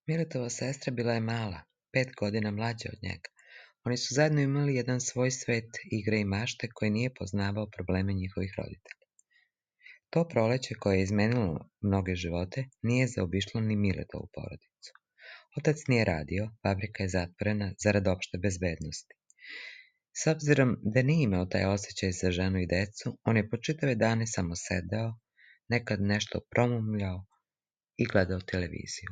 Miletova sestra bila je mala, 5 godina mlađa od njega. Oni su zajedno imali jedan svoj svet igre i mašte koji nije poznavao probleme njihovih roditelja. To proleće koje je izmenilo mnoge živote nije zaobišlo ni Miletovu porodicu. Otac nije radio, fabrika je zatvorena zarad opšte bezbednosti. S obzirom da nije imao taj osjećaj za ženu i decu, on je po čitave dane samo sedeo, nekad nešto promumljao i gledao televiziju.